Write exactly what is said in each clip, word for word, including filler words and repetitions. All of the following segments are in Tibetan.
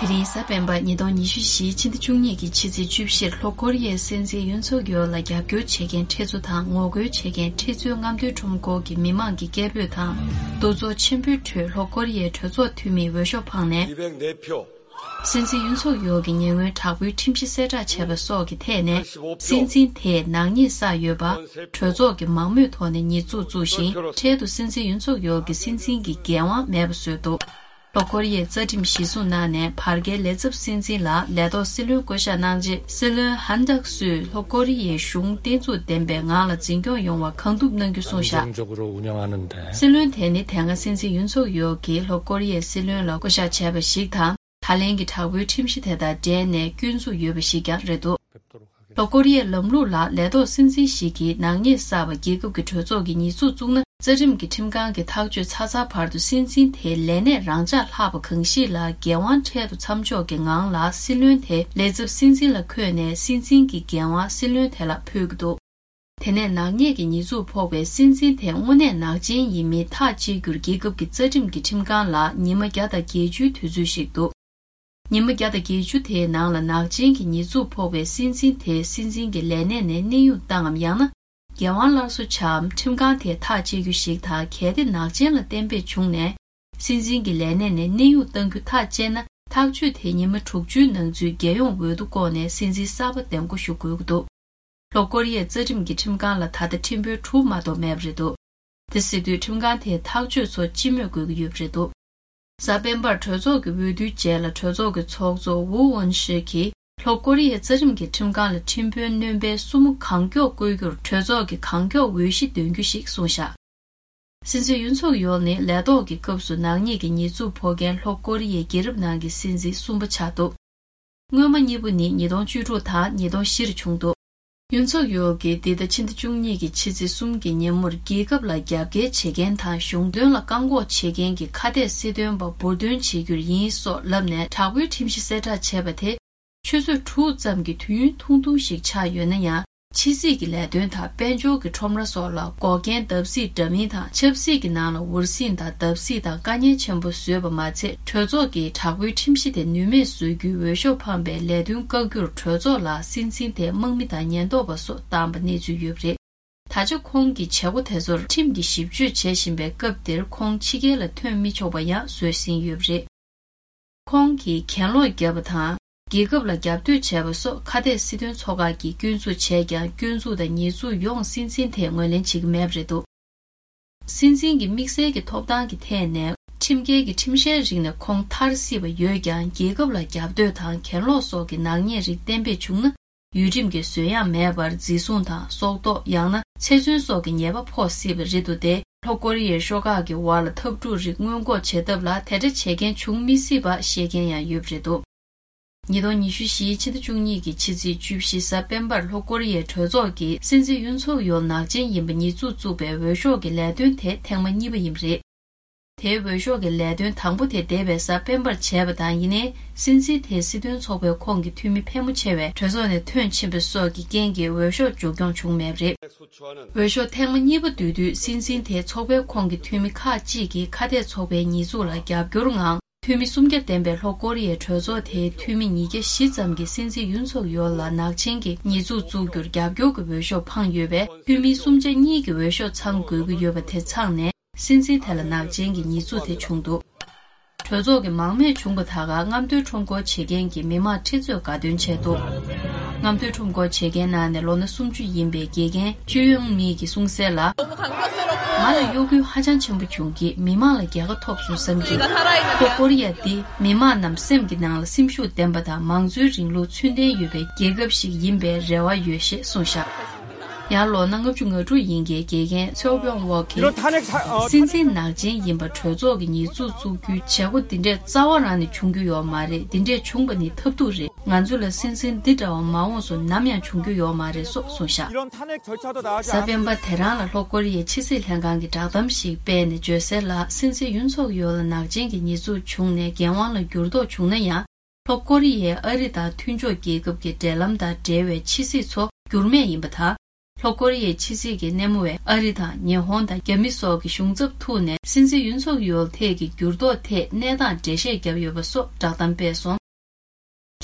དེ་རིང་གཟའ་སྤེན་པ་ཉིས་སྟོང་ཉི་ཤུ་བཞིའི་ཕྱི་ཟླ་བཅུ་གཉིས་ཀྱི་ཕྱི་ཚེས་བཅུ་བཞིར་ལྷོ་ཀོ་རི་ཡའི་སྲིད་འཛིན་ཡུན་སུག་ཡོལ་ལ་རྒྱབ་སྐྱོར་བྱེད་མཁན་ཁྲི་ཚོ་དང་ངོ་རྒོལ་བྱེད་མཁན་ཁྲི་ཚོའི་རྔམ་སྟོན་ཁྲོམ་སྐོར་གྱི་མི་མང་གི་སྐད་འབོད་དང་། འདུ་ཚོགས་ཆེན་པོའི་ཁྲོད་ལྷོ་ཀོ་རི་ཡའི་གྲོས་ཚོགས་འཐུས་མིས་འོས་ཤོག་འཕངས་ནས། སྲིད་འཛིན་ཡུན་སུག་ཡོལ་གྱི་ཉེ་སྔོན་དྲག་པོའི་ཁྲིམས་གཞི་གསལ་བསྒྲགས་བྱས་པ་སོགས་ཀྱི་ཐད་ནས། སྲིད་འཛིན་དེས་ནག་ཉེས་བསགས་ཡོད་པ། གྲོས་ཚོགས་ཀྱིས་མང་མོས་ཐོག་ནས་ཉེས་འཛུགས་བཙུགས་ཤིང་། འཕྲལ་དུ་སྲིད་འཛིན་ཡུན་སུག་ཡོལ་གྱི་སྲིད་འཛིན་གྱི་འགན་དབང་མེད་པ་བཟོས་འདུག་ལྷོ་ཀོ་རི་ཡའི་རྩ་ཁྲིམས་གཞིར་བཟུང་གནང་ནས་བར་བརྒལ་ལས་ཚབ་སྲིད་འཛིན་ལ་ལས་ཐོག་སྲིད་བློན་བསྐོ་གཞག་གནང་རྗེས། སྲིད་བློན་ཧན་ཌག་སུས་ལྷོ་ཀོ་རི་ཡའི་གཞུང་བརྟན་ཚུགས་ལྡན་པའི་ངང་ལ་འཛིན་སྐྱོང་ཡོང་བར་གང་ཐུབ་གནང་རྒྱུ་གསུངས་བཞག་སྲིད་བློན་དེ་ནི་དེ་སྔ་སྲིད་འཛིན་ཡུན་སུག་ཡོལ་གྱིས་ལྷོ་ཀོ་རི་ཡའི་སྲིད་བློན་ལ་བསྐོ་གཞག་བྱས་པ་ཞིག་དང་། ད་ལན་གྱི་དྲག་པོའི་ཁྲིམས་གཞི་དེ་དང་འབྲེལ་ནས་སྐྱོན་འཛུགས་ཡོད་པ་ཞིག་ཀྱང་རེད་འདུག་ལྷོ་ཀོ་རི་ཡའི་ལམ་ལུགས་ལ་ལས་ཐོག་སྲིད་འཛིན་ཞིག་གིས་ནག་ཉེས་བསགས་པ་རྒྱལ་ཁབ་ཀྱི་གྲོས་ཚོགས་ཀྱིས་ཉེས་འཛུགས་བཙུགས་ན། རྩ་ཁྲིམས་ཀྱི་ཁྲིམས་ཁང་གིས་ཐག་གཅོད་ཚར་ཚར་བར་དུ་སྲིད་འཛིན་དེའི་ལས་གནས་རང་འཇགས་ལྷག་པ་གང་ཞིག་ལ་འགན་དབང་འཕྲལ་དུ་མཚམས་འཇོག་གི་ངང་ལ་སྲིད་བློན་དེ་ལས་ཚབ་སྲིད་འཛིན་ལ་འཁོད་ནས་སྲིད་འཛིན་གྱི་འགན་དབང་སྲིད་བློན་དེ་ལ་ཕུལ་གྱི་འདུག་དེ་ནས་ནག་ཉེས་ཀྱི་ཉེས་འཛུགས་ཕོག་པའི་སྲིད་འཛིན་དེ་དངོས་གནས་ནག་ཅན་ཡིན་མིན་ཐག་གཅོད་རྒྱུར་རྒྱལ་ཁབ་ཀྱི་རྩ་ཁྲིམས་ཀྱི་ཁྲིམས་ཁང་ལ་ཉི་མ་བརྒྱ་དང་བརྒྱད་ཅུའི་དུས་ཚོད་ཞིག་འདུག་ཉི་མ་བརྒྱ་དང་བརྒྱད་ཅུ་དེའི་ནང་ལ་ནག་ཅན་གྱི་ཉེས་འཛུགས་ཕོག་པའི་སྲིད་འཛིན་དེ་སྲིད་འཛིན་གྱི་ལས་གནས་ནས་གནས་དབྱུང་བཏང་ངམ། ཡང་ན་འགན་དབང་སླར་གསོ་བྱའམ། ཁྲིམས་ཁང་དེས་ཐག་གཅོད་རྒྱུ་ཞིག་དང་། གལ་ཏེ་ནག་ཅན་ལ་གཏན་འབེབས་བྱུང་ནས་སྲིད་འཛིན་གྱི་ལས་གནས་ནས་གནས་དབྱུང་གཏང་རྒྱུ་ཐག་བཅད་ན། ཐག་གཅོད་དེ་ཉི་མ་དྲུག་ཅུའི་ནང་ཚུད་རྒྱལ་ཡོངས་འོས་བསྡུ་བསྐོངས་ནས་སྲིད་འཛིན་གསར་པ་འདེམས་བསྐོ་ཞུ་དགོས་ཀྱི་འདུག་ལྷོ་ཀོ་རི་ཡའི་རྩ་ཁྲིམས་ཀྱི་ཁྲིམས་ཁང་ལ་ད་ལྟ་ཁྲིམས་དཔོན་དྲུག་མ་གཏོགས་མེད་པ་རེད་འདུག་དེ་སྲིད་དུས་ཁྲིམས་ཁང་དེས་ཐག་གཅོད་ཚོ་སྤྱི་མོས་དགོས་ཀྱི་ཡོད་པ་རེད་འདུག་གཟའ་སྤེན་པར་གྲོས་ཚོགས་ཀྱི་འོས་བསྡུའི་རྗེས་ལ་གྲོས་ཚོགས་ཀྱི་ཚོགས་གཙོ་ཝུ་ཝུན་ཤི་གིས་ལྷོ་ཀོ་རི་ཡའི་རྩ་ཁྲིམས་ཀྱི་ཁྲིམས་ཁང་ལ་ཁྲིམས་དཔོན་སྣོན་པའི་སྲུ་མོ་གང་མགྱོགས་བསྐོ་རྒྱུར་གྲོས་ཚོགས་ཀྱིས་གང་མགྱོགས་འོས་གཞི་འདོན་རྒྱུ་ཞིག་གསུངས་བཞག་སྲིད་འཛིན་ཡུན་སུག་ཡོལ་ནི་ལས་ཐོག་གི་སྐབས་སུ་ནག་ཉེས་ཀྱི་ཉེས་འཛུགས་ཕོག་མཁན་ལྷོ་ཀོ་རི་ཡའི་རྒྱལ་རབས་ནང་གི་སྲིད་འཛིན་གསུམ་པ་ཆགས་འདུག་སྔོན་མ་གཉིས་པོ་ནི་ཉིས་སྟོང་བཅུ་དྲུག་དང་ཉིས་སྟོང་བཞིར་བྱུང་འདུག་ཡུན་སུག་ཡོལ་གྱིས་འདི་ཟླ་ཕྱི་ཟླ་བཅུ་གཉིས་ཀྱི་ཕྱི་ཚེས་གསུམ་གྱི་ཉིན་མོར་རྒྱལ་ཁབ་ལ་རྒྱབ་འགལ་བྱེད་མཁན་དང་གཞུང་དོན་ལ་བཀག་འགོག་བྱེད་མཁན་གྱི་ཁ་གཏད་སྲིད་དོན་པ་འབུར་འདོན་བྱེད་རྒྱུར་ཡིན་སོགས་ལབ་ནས་དྲག་པོའི་ཁྲིམས་གཞི་གསལ་བསྒྲགས་བྱས་པ་དེ། ཆུ་ཚོད་དྲུག་ཙམ་གྱི་དུས་ཡུན་ཐུང་ཐུང་ཞིག་ཆགས་ཡོད་ན་ཡང་། ཕྱི་སྲིད་ཀྱི་ལས་དོན་དང་དཔལ་འབྱོར་གྱི་ཁྲོམ་ར་སོགས་ལ་འགོག་རྐྱེན་བརྡབ་གསིག་འདྲ་མིན་དང་། ཆབ་སྲིད་ཀྱི་ནང་ལ་འུར་ཟིང་དང་བརྡབ་གསིག་དང་དཀའ་ངལ་ཆེན་པོ་བཟོས་པ་མ་ཚད། གྲོས་ཚོགས་ཀྱིས་དྲག་པོའི་ཁྲིམས་གཞི་དེ་ནུས་མེད་བཟོ་རྒྱུའི་འོས་ཤོག་འཕངས་པའི་ལས་དོན་བཀག་རྒྱུར་གྲོས་ཚོགས་ལ་སྲིད་འཛིན་དེ་དམག་མི་དང་ཉེན་རྟོག་པ་སོགས་བཏང་པ་གནས་ཚུལ་ཡོད་པ་རེད། ད་ཆ་ཁོང་གི་བྱེད་སྒོ་དེ་ཚོར་ཁྲིམས་ཀྱིས་ཞིབ་དཔྱོད་བྱེད་བཞིན་པའི་སྐབས་འདིར་ཁོང་ཕྱི་རྒྱལ་ལ་ཐོན་མི་ཆོག་པ་ཡང་བཟོས་ཟིན་ཡོད་པ་རེད། ཁོང་གིས་གྱེན་ལོག་བརྒྱབ་པ་དང་། རྒྱལ་ཁབ་ལ་རྒྱབ་གཏོད་བྱས་པ་སོགས་ཁ་གཏད་སྲིད་དོན་ཚོགས་ཁག་གིས་སྐྱོན་འཛུགས་བྱས་ཀྱང་། སྐྱོན་འཛུགས་དང་ཉེས་འཛུགས་ཡོངས་སྲིད་འཛིན་དེས་ངོས་ལེན་བྱེད་ཀྱི་མེད་པ་རེད་འདུག་སྲིད་འཛིན་གྱི་དམིགས་བསལ་གྱི་ཐོབ་ཐང་གི་ཐད་ནས། ཁྲིམས་འགལ་གྱི་ཁྲིམས་བཤེར་རིགས་ནས་ཁོང་ཐར་སྲིད་པ་ཡོད་ཀྱང་། རྒྱལ་ཁབ་ལ་རྒྱབ་གཏོད་དང་གྱེན་ལོག་སོགས་ཀྱི་ནག་ཉེས་རིགས་གཏན་འབེབས་བྱུང་ན། ཡུལ་ཁྲིམས་ཀྱི་བཟོད་ཡངས་མེད་པར་འཛིན་བཟུང་དང་། སྲོག་ཐོག་ཡང་ན་ཚེ་བཙོན་སོགས་ཀྱི་ཉེས་པ་ཕོག་སྲིད་པ་རེད་འདུག་སྟེ། ལྷོ་ཀོ་རི་ཡའི་ཤོག་ཁག་གི་དབར་ལ་འཐབ་འཁྲུག་རིགས་སྔོན་འགོག་བྱེད་ཐབས་ལ་དེ་འདྲ་བྱེད་མཁན་བྱུང་མི་སྲིད་པ་བཤད་མཁན་ཡང་ཡོད་པ་རེད་འདུག་ཉིས་སྟོང་ཉི་ཤུ་བཞིའི་ཕྱི་ཟླ་བཅུ་གཉིས་ཀྱི་ཕྱི་ཚེས་བཅུ་བཞི་གཟའ་སྤེན་པར་ལྷོ་ཀོ་རི་ཡའི་གྲོས་ཚོགས་ཀྱིས་སྲིད་འཛིན་ཡུན་སུག་ཡོལ་ནག་ཅན་ཡིན་པ་ཉེས་འཛུགས་བཙུགས་པའི་འོས་ཤོག་གི་ལས་དོན་དེ་ཐེངས་མ་གཉིས་པ་ཡིན་པ་རེད། དེའི་འོས་ཤོག་གི་ལས་དོན་དང་པོ་དེ་འདས་པའི་གཟའ་སྤེན་པར་བྱས་པ་དང་། ཡིན་ནའི་སྲིད་འཛིན་དེ་སྲིད་དོན་ཚོགས་པའི་ཁོངས་ཀྱི་འཐུས་མི་ཕལ་མོ་ཆེ་བས་གྲོས་ཚོགས་ནས་ཐོན་ཕྱིན་པ་སོགས་ཀྱི་རྐྱེན་གྱིས་འོས་ཤོག་མཇུག་སྐྱོང་བྱུང་མེད་པ་རེད། འོས་ཤོག་ཐེངས་མ་གཉིས་པ་བསྡུ་དུས་སྲིད་འཛིན་དེ་ཚོགས་པའི་ཁོངས་ཀྱི་འཐུས་མི་ཁག་ཅིག་གིས་ཁ་གཏད་ཚོགས་པའི་ཉེས་འཛུགས་ལ་རྒྱབ་སྐྱོར་ངང་། འཐུས་མི་སུམ་བརྒྱ་ལྡན་པའི་ལྷོ་ཀོ་རི་ཡའི་གྲོས་ཚོགས་དེའི་འཐུས་མི་ཉིས་བརྒྱ་བཞི་ཙམ་གྱིས་སྲིད་འཛིན་ཡུན་སུག་ཡོལ་ལ་ནག་ཅན་གྱི་ཉེས་འཛུགས་བཙུགས་རྒྱུར་རྒྱབ་སྐྱོར་གྱི་འོས་ཤོག་འཕངས་ཡོད་པས། འཐུས་མི་སུམ་ཆ་གཉིས་ཀྱི་འོས་ཤོག་ཚང་དགོས་ཀྱི་ཡོད་པ་དེ་ཚང་ནས། སྲིད་འཛིན་དེ་ལ་ནག་ཅན་གྱི་ཉེས་འཛུགས་དེ་བྱུང་འདུག་གྲོས་ཚོགས་ཀྱི་མང་མོས་བྱུང་བ་དག་ག་རྔམ་སྟོན་ཁྲོམ་སྐོར་བྱེད་མཁན་གྱི་མི་མང་ཁྲི་ཚོས་དགའ་སྟོན་བྱས་འདུག་རྔམ་སྟོན་ཁྲོམ་སྐོར་བྱེད་མཁན་ནང་ནས་ལོ་ན་སུམ་ཅུ་ཡིན་པའི་དགེ་རྒན་ཅུ་ཡོང་མི་གིས་གསུངས་གསལ་ལ། ང་ལ་གཡོ་འགུལ་ཧ་ཅང་ཆེན་པོ་བྱུང་གིས། མི་མང་ལ་རྒྱལ་ཁ་ཐོབ་སོང་བསམ་གི། ལྷོ་ཀོ་རི་ཡ་འདི་མི་མང་རྣམས་སེམས་ཀྱི་ནང་ལ་སེམས་ཤུགས་ལྡན་པ་དང་། མང་གཙོའི་རིང་ལུགས་ཚུལ་ལྡན་ཡོད་པའི་རྒྱལ་ཁབ་ཞིག་ཡིན་པའི་རེ་བ་ཡོད་ཞེས་གསུངས་བཞག་ཡང་ལོ་ན་ལྔ་བཅུ་ང་དྲུག་ཡིན་མཁན་དགེ་རྒན་ཚེའོ་པྱོང་ཝོག་གིས། སྲིད་འཛིན་ནག་ཅན་ཡིན་པ་གྲོས་ཚོགས་ཀྱི་ཉེས་འཛུགས་བཙུགས་རྒྱུའི་བྱེད་སྒོ་འདི་འདྲས་རྩ་བ་རང་ནས་བྱུང་རྒྱུ་ཡོད་མ་རེད། འདི་འདྲས་བྱུང་བ་ནི་ཐབས་སྡུག་རེད། ང་ཚོ་ལ་སྲིད་འཛིན་འདི་འདྲ་བ་མ་འོངས་སུ་ནམ་ཡང་བྱུང་རྒྱུ་ཡོད་མ་རེད་སོགས་གསུངས་བཞག་གཟའ་སྤེན་པ་དེ་རང་ལ་ལྷོ་ཀོ་རི་ཡའི་ཕྱི་སྲིད་ལྷན་ཁང་གིས་བསྒྲགས་གཏམ་ཞིག་སྤེལ་ནས་བརྗོད་གསལ་ལ། སྲིད་འཛིན་ཡུན་སུག་ཡོལ་ལ་ནག་ཅན་གྱི་ཉེས་འཛུགས་བྱུང་ནས་འགན་དབང་ལ་འགྱུར་ལྡོག་བྱུང་ན་ཡང་། ལྷོ་ཀོ་རི་ཡས་ཨ་རི་དང་མཐུན་ཕྱོགས་རྒྱལ་ཁབ་ཀྱི་འབྲེལ་ལམ་དང་འབྲེལ་བའི་ཕྱི་སྲིད་ཚོ་འགྱུར་མེད་ཡིན་པ་དང་། ལྷོ་ཀོ་རི་ཡའི་ཕྱི་སྲིད་ཀྱི་སྣེ་མོ་བས་ཨ་རི་དང་ཉི་ཧོང་དང་རྒྱ་མི་སོགས་ཀྱི་གཞུང་ཚབ་ཐུག་ནས་སྲིད་འཛིན་ཡུན་སུག་ཡོལ་ཐད་ཀྱི་འགྱུར་ལྡོག་ཐད་གནས་སྟངས་འགྲེལ་བཤད་བརྒྱབ་ཡོད་པ་སོགས་བསྒྲགས་གཏམ་སྤེལ་སོང་།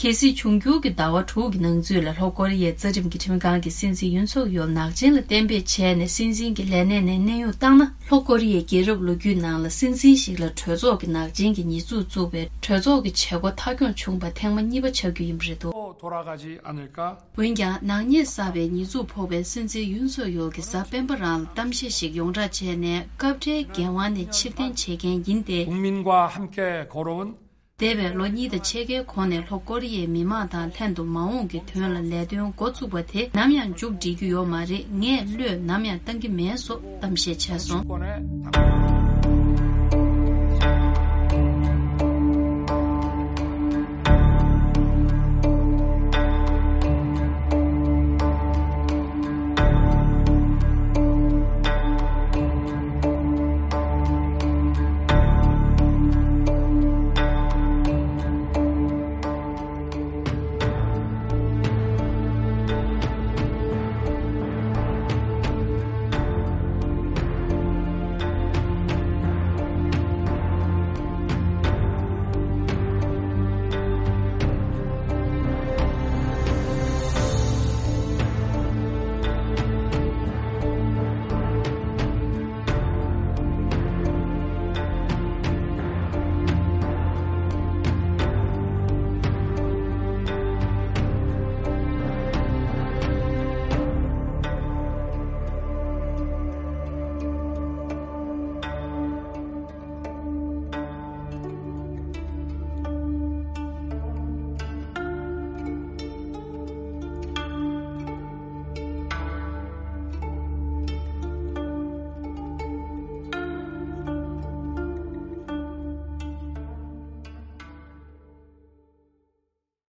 གལ་སྲིད་འབྱུང་འགྱུར་གྱི་ཟླ་བ་དྲུག་གི་ནང་ཚུད་ལ་ལྷོ་ཀོ་རི་ཡའི་རྩ་ཁྲིམས་ཀྱི་ཁྲིམས་ཁང་གིས་སྲིད་འཛིན་ཡུན་སུག་ཡོལ་ནག་ཅན་ལ་གཏན་འབེབས་བྱས་ནས་སྲིད་འཛིན་གྱི་ལས་གནས་ནས་གནས་དབྱུང་བཏང་ན། ལྷོ་ཀོ་རི་ཡའི་རྒྱལ་རབས་ལོ་རྒྱུས་ནང་ལ་སྲིད་འཛིན་ཞིག་ལ་གྲོས་ཚོགས་ཀྱི་ནག་ཅན་གྱི་ཉེས་འཛུགས་བཙུགས་པའི་གྲོས་ཚོགས་ཀྱི་བྱེད་སྒོ་མཐའ་འཁྱོངས་བྱུང་བ་ཐེངས་མ་གཉིས་པ་ཆགས་རྒྱུ་ཡིན་པ་རེད་འདུག། 돌아가지 않을까? འོན་ཀྱང་ནག་ཉེས་བསགས་པའི་ཉེས་འཛུགས་ཕོག་པའི་སྲིད་འཛིན་ཡུན་སུག་ཡོལ་གྱི་གཟའ་སྤེན་པ་རང་ལ་གཏམ་བཤད་ཞིག་ཡོངས་བསྒྲགས་བྱས་ནས་སྐབས་འཕྲལ་འགན་དབང་ནས་ཕྱིར་འཐེན་བྱེད་མཁན་ཡིན་ཏེ། 국민과 함께 걸어온 འདས་པའི་ལོ་གཉིས་དང་ཕྱེད་ཀའི་གོང་ནས་ལྷོ་ཀོ་རི་ཡའི་མི་མང་དང་ལྷན་དུ་མ་འོངས་ཀྱི་དོན་ལ་ལས་དོན་འགོ་བཙུགས་པ་དེ་ནམ་ཡང་མཇུག་སྒྲིལ་རྒྱུ་ཡོད་མ་རེད། ངས་བློས་ནམ་ཡང་བཏང་གི་མེད་སོགས་གཏམ་བཤད་བྱས་སོང་། 정치권에